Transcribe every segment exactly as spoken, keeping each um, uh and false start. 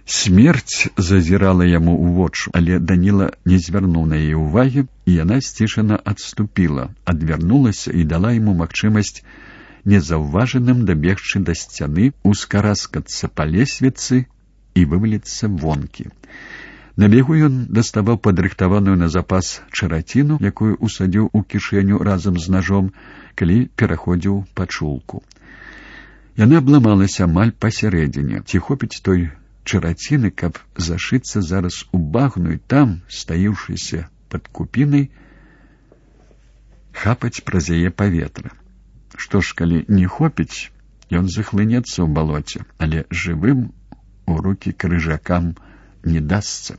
Смерць зазірала яму ў вочы, але Даніла не звярнуў на яе ўвагі, і яна сцішана адступіла, адвярнулася і дала яму магчымасць незаўважаным дабегчы да сцяны, ускараскацца па лесвіцы і вываліцца вонкі. На бегу ён даставаў падрыхтаваную на запас чараціну, якую усадзіў у кішэню разам з нажом, калі пераходзіў пачулку. Яна абламалася амаль пасярэдзіне. Ці хопіць той чараціны, каб зашыцца зараз у багну і там, стаіўшыся пад купінай, хапаць праз яе паветра. Што ж, калі не хопіць, ён захлынецца ў балоце, але жывым у рукі крыжакам не дасца.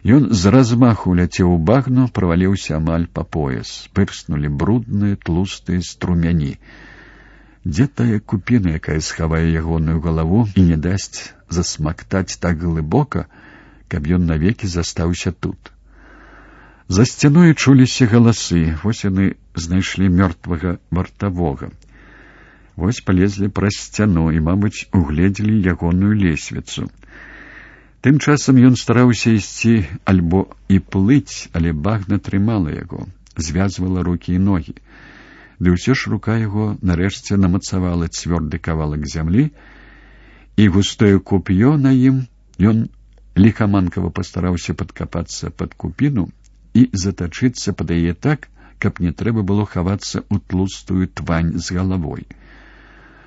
Ён з размаху ляцеў у багну, праваліўся амаль па пояс. Пырснулі брудныя, тлустыя струмяні. Дзе тая купіна, якая схавае ягоную галаву і не дасць засмактаць так глыбока, каб ён навекі застаўся тут? За сцяной чуліся галасы. Вось яны знайшлі мёртвага вартавога. Вось палезлі праз сцяну і, мабыць, угледзелі ягоную лесвіцу. Тым часам ён стараўся ісці альбо і плыць, але багна трымала яго, звязвала рукі і ногі. Ды ўсё ж рука яго нарэшце намацавала цвёрды кавалак зямлі, і густое коп'ё на ім. Ён ліхаманкава пастараўся падкапацца пад купіну і затачыцца пад яе так, каб не трэба было хавацца ў тлустую твань з галавой.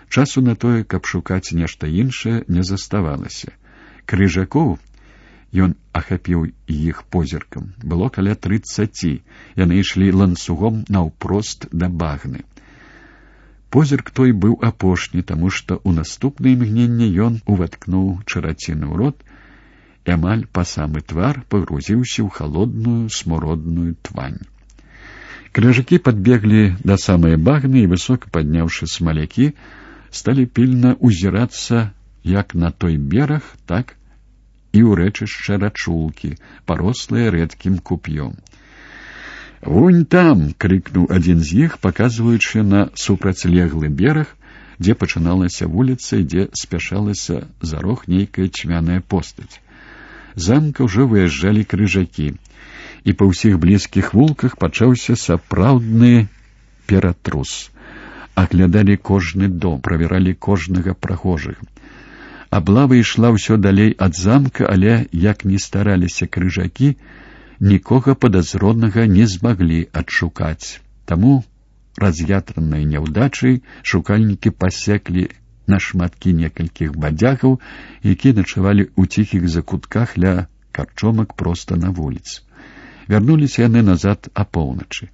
Часу на тое, каб шукаць нешта іншае, не заставалася. Крыжакоў, ён ахапіў іх позіркам, было каля трыццаці. Яны ішлі ланцугом наўпрост да багны. Позірк той быў апошні, таму што ў наступнае імгненне ён уваткнуў чараціну ў рот і амаль па самы твар пагрузіўся ў халодную смуродную твань. Крыжакі падбеглі да самай багны і, высока падняўшы смалякі, сталі пільна ўзірацца як на той бераг, так і ў рэчышча рачулкі, парослыя рэдкім куп'ём. «Вунь там!» — крыкнуў адзін з іх, паказваючы на супрацьлеглы бераг, дзе пачыналася вуліца і дзе спяшалася за рог нейкая цьмяная постаць. Замка ўжо выязджалі крыжакі, і па ўсіх блізкіх вулках пачаўся сапраўдны ператрус. Аглядалі кожны дом, правяралі кожнага прахожага. Аблава ішла ўсё далей ад замка, але, як ні стараліся крыжакі, нікога падазронага не змаглі адшукаць. Таму, раз'ятраныя няўдачай, шукальнікі пасеклі на шматкі некалькіх бадзягаў, якія начавалі ў ціхіх закутках ля карчомак проста на вуліцы. Вярнуліся яны назад апоўначы.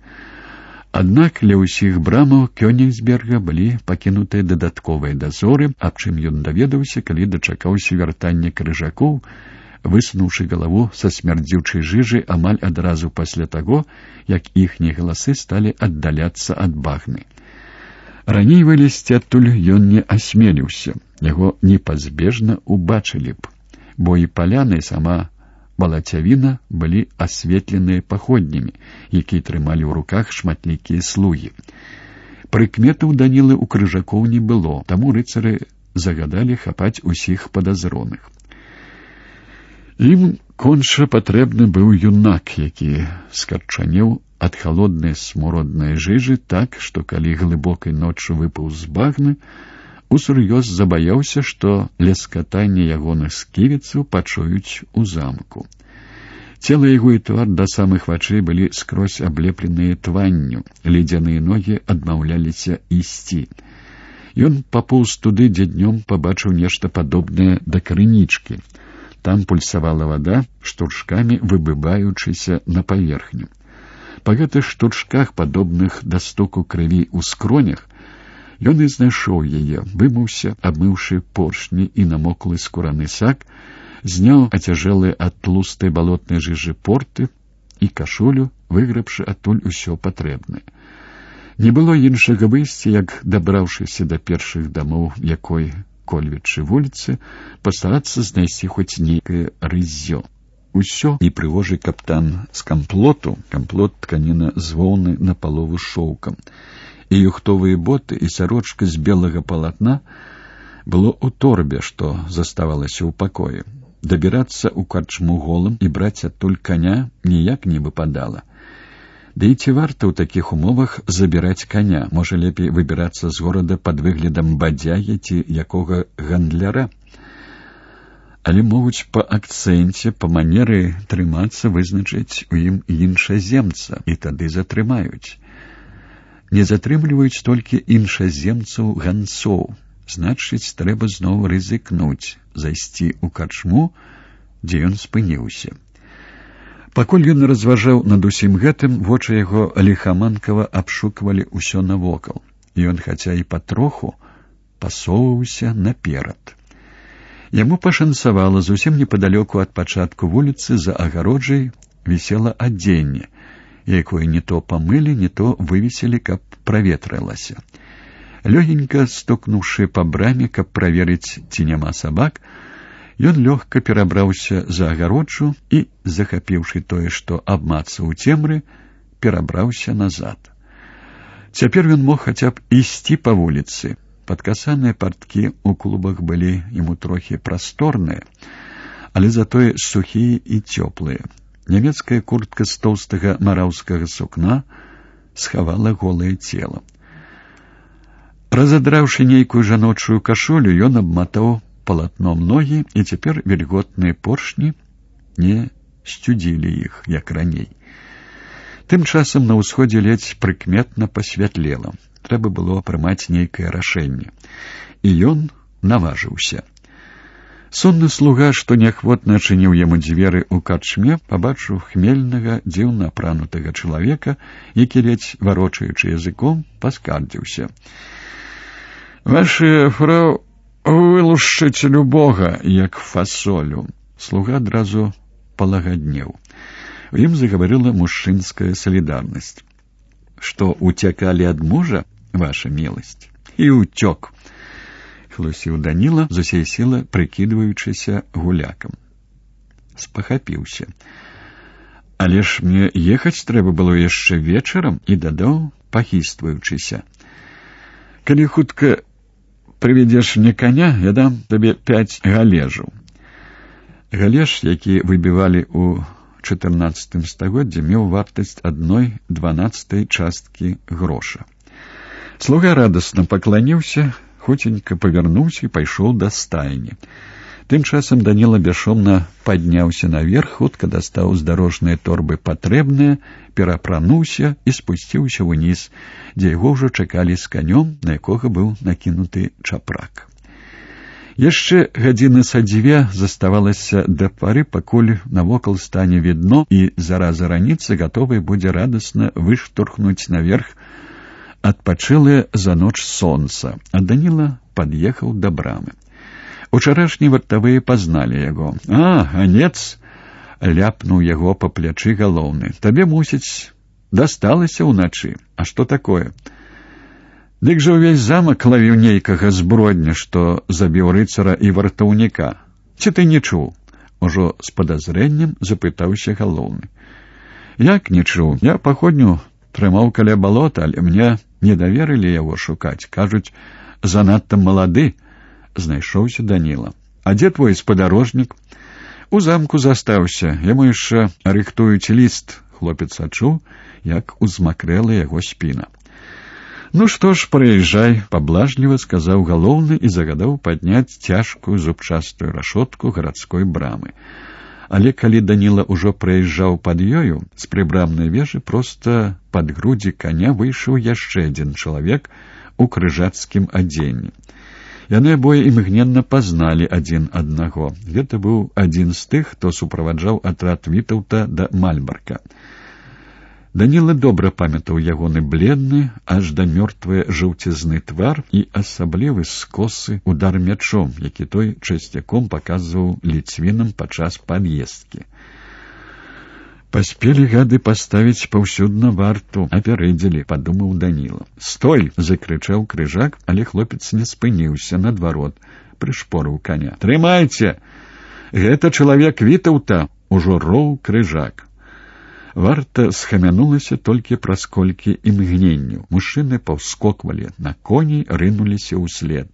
Аднак ля ўсіх брамаў Кёнігсберга былі пакінутыя дадатковыя дазоры, аб чым ён даведаўся, калі дачакаўся вяртання крыжакоў, высунуўшы галаву са смярдзючай жыжы амаль адразу пасля таго, як іхнія галасы сталі аддаляцца ад багны. Раней вылезці адтуль ён не асмеліўся, яго непазбежна убачылі б, бо і паляны, сама балацявіна былі асветленыя паходнямі, якія трымалі ў руках шматлікія слугі. Прыкметаў Данілы ў крыжакоў не было, таму рыцары загадалі хапаць усіх падазроных. Ім конча патрэбны быў юнак, які скарчанеў ад халоднай смуроднай жыжы так, што калі глыбокай ноччу выпаў з багны, усур'ёз забаяўся, што лескатанне ягоных сківіцаў пачуюць у замку. Цела яго і твар да самых вачэй былі скрозь аблепленыя тванню, ледзяныя ногі адмаўляліся ісці. Ён папоўз туды, дзе днём пабачыў нешта падобнае да крынічкі. Там пульсавала вада, штуршкамі выбываючыся на паверхню. Па гэтых штуршках, падобных да стуку крыві ў скронях, ён і знайшоў яе, вымыўся, абмыўшы поршні і намоклы скураны сак, зняў ацяжэлыя ад тлустай балотнай жыжы порты і кашулю, выграбшы адтуль усё патрэбнае. Не было іншага выйсця, як, дабраўшыся да першых дамоў якой кольвічы вуліцы, пастарацца знайсці хоць нейкае рыззё. Усё непрыгожы каптан з камплоту, камплот тканіна з воўны напалову шоўкам, і юхтовыя боты, і сарочка з белага палатна было ў торбе, што заставалася ў пакоі. Дабірацца ў карчму голым і браць адтуль каня ніяк не выпадала. Да і ці варта ў такіх умовах забіраць каня? Можа, лепей выбірацца з горада пад выглядам бадзягі ці якога гандляра? Але могуць па акцэнце, па манеры трымацца вызначыць у ім іншаземца, і тады затрымаюць. Не затрымліваюць толькі іншаземцаў ганцоў. Значыць, трэба зноў рызыкнуць, зайсці ў карчму, дзе ён спыніўся. Пакуль ён разважаў над усім гэтым, вочы яго ліхаманкава абшуквалі ўсё навокал, і ён, хаця і патроху, пасоўваўся наперад. Яму пашанцавала, зусім непадалёку ад пачатку вуліцы за агароджай вісела адзенне, якое не то памылі, не то вывесілі, каб праветрылася. Лёгенька стукнуўшы па браме, каб праверыць, ці няма сабак, ён лёгка перабраўся за агароджу і, захапіўшы тое, што абмацаў у цемры, перабраўся назад. Цяпер ён мог хаця б ісці па вуліцы. Падкасаныя парткі ў клубах былі яму трохі прасторныя, але затое сухія і цёплыя. Нямецкая куртка з тоўстага мараўскага сукна схавала голае цела. Разадраўшы нейкую жаночую кашулю, ён абматаў палатном ногі, і цяпер вільготныя поршні не сцюдзілі іх, як раней. Тым часам на ўсходзе ледзь прыкметна пасвятлела. Трэба было прымаць нейкае рашэнне. І ён наважыўся. Сонны слуга, што неахвотна адчыніў яму дзверы ў карчме, пабачыў хмельнага, дзіўна апранутага чалавека, які, ледзь варочаючы языком, паскардзіўся. «Ваша фрау вылушчыць любога, як фасолю». Слуга адразу палагаднеў. У ім загаварыла мужчынская салідарнасць. «Што, уцякалі ад мужа, ваша міласць?» «І ўцёк», — хлусіў Даніла, з усей сілы прыкідваючыся гулякам. Спахапіўся. «Але ж мне ехаць трэба было яшчэ вечарам», і дадаў, пахістваючыся. «Калі хутка прыведзеш мне каня, я дам табе пяць галежаў». Галеж, які выбівалі ў чатырнаццатым стагоддзі, меў вартасць адной дванаццатай часткі гроша. Слуга радасна пакланіўся, хуценька павярнуўся і пайшоў да стайні. Тым часам Даніла бясшумна падняўся наверх, хутка дастаў з дарожнай торбы патрэбнае, перапрануўся і спусціўся ўніз, дзе яго ўжо чакалі з канём, на якога быў накінуты чапрак. Яшчэ гадзіны са дзве заставалася да пары, пакуль навокал стане відно, і зараза раніцы гатовай будзе радасна выштурхнуць наверх адпачылае за ноч сонца, а Даніла пад'ехаў да брамы. Учарашні вартавыя пазналі яго. «А, ганец!» — ляпнуў яго па плячы галоўны. «Табе, мусіць, дасталася ўначы. А што такое?» «Дык жа ўвесь замак лавіў нейкага збродня, што забіў рыцара і вартаўніка. Ці ты не чуў?» Ужо з падазрэннем запытаўся галоўны. «Як не чуў? Я паходню трымаў каля балота, але мне не даверылі яго шукаць. Кажуць, занадта малады». Знайшоўся Даніла. «А дзе твой спадарожнік?» «У замку застаўся. Яму яшчэ рыхтуюць ліст». Хлопец адчуў, як узмакрэла яго спіна. «Ну што ж, прыязджай», — паблажліва сказаў галоўны і загадаў падняць цяжкую зубчастую рашотку гарадской брамы. Але калі Даніла ўжо праязджаў пад ёю, з прыбрамнай вежы проста пад грудзі каня выйшаў яшчэ адзін чалавек у крыжацкім адзенні. Яны абое імгненна пазналі адзін аднаго. Гэта быў адзін з тых, хто суправаджаў атрад Вітаўта да Мальбарка. Даніла добра памятаў ягоны бледны, аж да мёртвае жаўцізны твар і асаблівы скосы удар мячом, які той часцяком паказваў ліцвінам падчас пад'ездкі. «Паспелі гады паставіць паўсюдна варту, апярэдзілі», — падумаў Даніла. «Стой!» — закрычаў крыжак, але хлопец не спыніўся, наадварот, прышпорыў каня. «Трымайце! Гэта чалавек Вітаўта!» — ужо роў крыжак. Варта схамянулася толькі праз колькі імгненняў. Мужчыны паўскоквалі на коней, рынуліся ўслед.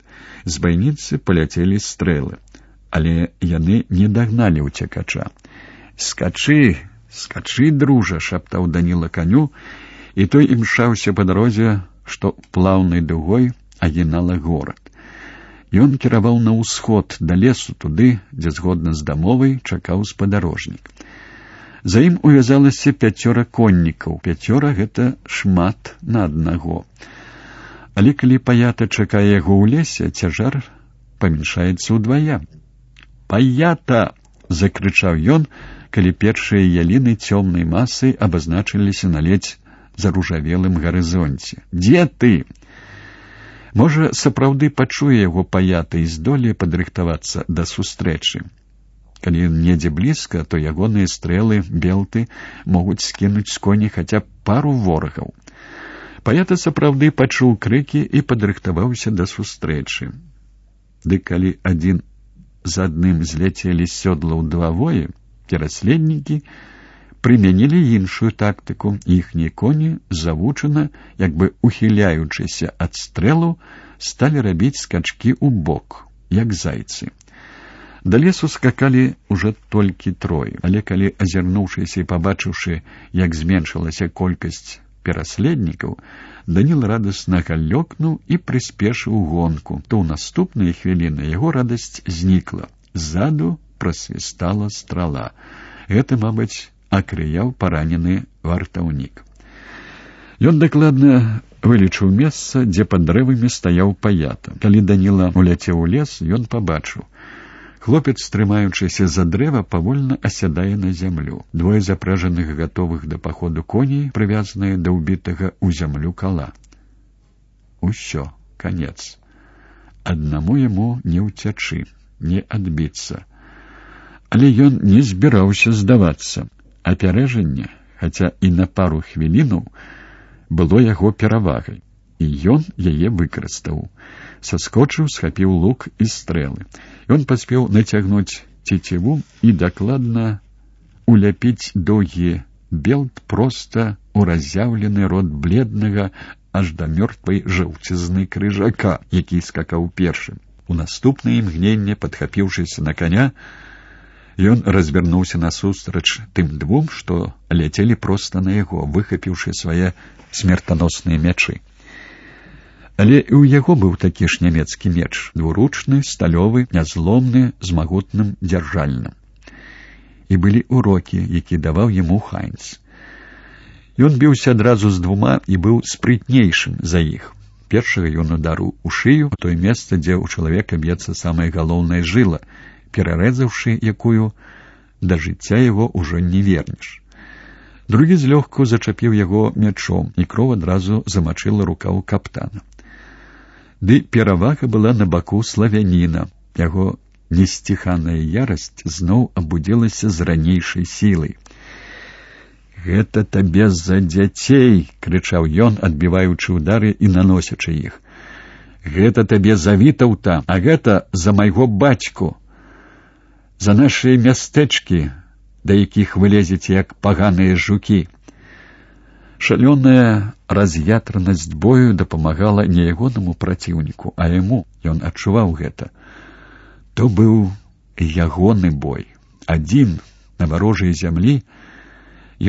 З байніцы паляцелі стрэлы, але яны не дагналі ўцекача. «Скачы, скачы, дружа!» — шаптаў Даніла каню, і той імчаўся па дарозе, што плаўнай дугой агінала горад. Ён кіраваў на ўсход, да лесу, туды, дзе згодна з дамовай чакаў спадарожнік. За ім увязалася пяцёра коннікаў. Пяцёра — гэта шмат на аднаго. Але калі паята чакае яго ў лесе, цяжар памяншаецца ўдвая. «Паята!» — закрычаў ён, калі першыя яліны цёмнай масай абазначыліся на ледзь заружавелым гарызонце. «Дзе ты?» Можа, сапраўды пачуе яго паята і здолее падрыхтавацца да сустрэчы. Калі ён недзе блізка, то ягоныя стрэлы, белты могуць скінуць з коні хаця б пару ворагаў. Паята сапраўды пачуў крыкі і падрыхтаваўся да сустрэчы. Ды калі адзін за адным зляцелі з сёдлаў два воі, пераследнікі прымянілі іншую тактыку. Іхнія коні завучана, як бы ухіляючыся ад стрэлу, сталі рабіць скачкі ў бок, як зайцы. Да лесу скакалі ўжо толькі трое, але калі, азірнуўшыся і пабачыўшы, як зменшылася колькасць пераследнікаў, Даніл радасна галёкнуў і прыспешыў гонку. То ў наступныя хвіліны яго радасць знікла. Ззаду прасвістала страла. Гэта, мабыць, акрыяў паранены вартаўнік. Ён дакладна вылічыў месца, дзе пад дрэвамі стаяў паята. Калі Даніла уляцеў у лес, ён пабачыў. Хлопец, трымаючыся за дрэва, павольна асядае на зямлю. Двое запражаных, гатовых да паходу коней, прывязаныя да ўбітага ў зямлю кала. Усё, канец. Аднаму яму не ўцячы, не адбіцца. Але ён не збіраўся здавацца. Апярэжанне, хаця і на пару хвілінаў, было яго перавагай. І ён яе выкарыстаў. Саскочыў, схапіў лук і стрэлы. Ён паспеў нацягнуць цеціву і дакладна уляпіць доўгі белт проста ў разъяўлены рот бледнага аж да мёртвай жаўцізны крыжака, які скакаў першым. У наступнае імгненне, падхапіўшыся на каня, ён развярнуўся насустрач тым двум, што ляцелі проста на яго, выхапіўшы свае смертаносныя мячы. Але і ў яго быў такі ж нямецкі меч, двуручны, сталёвы, нязломны, з магутным дзяржальным. І былі урокі, які даваў яму Хайнц. Ён біўся адразу з двума і быў спрытнейшым за іх. Першага ён ударыў у шыю, у тое месца, дзе ў чалавека б'ецца самая галоўная жыла, перарэзаўшы якую, да жыцця яго ўжо не вернеш. Другі злёгку зачапіў яго мячом, і кроў адразу замачыла рукаў каптана. Ды перавага была на баку славяніна. Яго несціханая ярасць зноў абудзілася з ранейшай сілай. «Гэта табе за дзяцей!» — крычаў ён, адбіваючы ўдары і наносячы іх. «Гэта табе за Вітаўта, а гэта за майго бацьку! За нашыя мястэчкі, да якіх вы лезеце, як паганыя жукі!» Шалёная раз'ятранасць бою дапамагала не ягонаму праціўніку, а яму. Ён адчуваў гэта. То быў ягоны бой. Адзін на варожай зямлі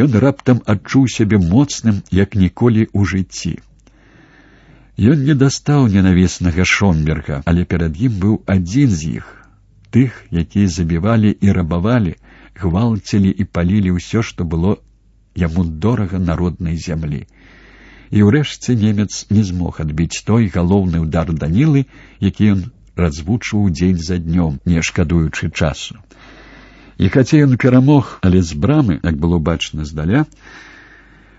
ён раптам адчуў сябе моцным, як ніколі ў жыцці. Ён не дастаў ненавіснага Шомберга, але перад ім быў адзін з іх, тых, якія забівалі і рабавалі, гвалцілі і палілі ўсё, што было яму дорага на роднай зямлі. І ўрэшце немец не змог адбіць той галоўны ўдар Данілы, які ён развучваў дзень за днём, не шкадуючы часу. І хаця ён перамог, але з брамы, як было бачна здаля,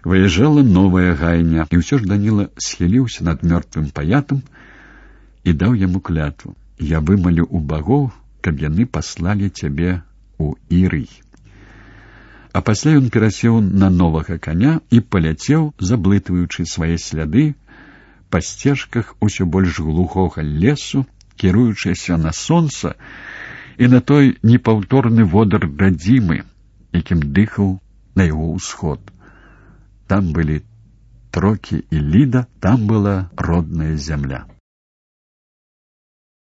выязджала новая гайня, і ўсё ж Даніла схіліўся над мёртвым паятам і даў яму клятву: «Я вымалю у багоў, каб яны паслалі цябе ў Ірый». А пасля ён перасеў на новага коня і паляцеў, заблытваючы свае сляды па сцежках усё больш глухога лесу, кіруючыся на сонца і на той непаўторны водар радзімы, якім дыхаў на яго ўсход. Там былі Трокі і Ліда, там была родная зямля.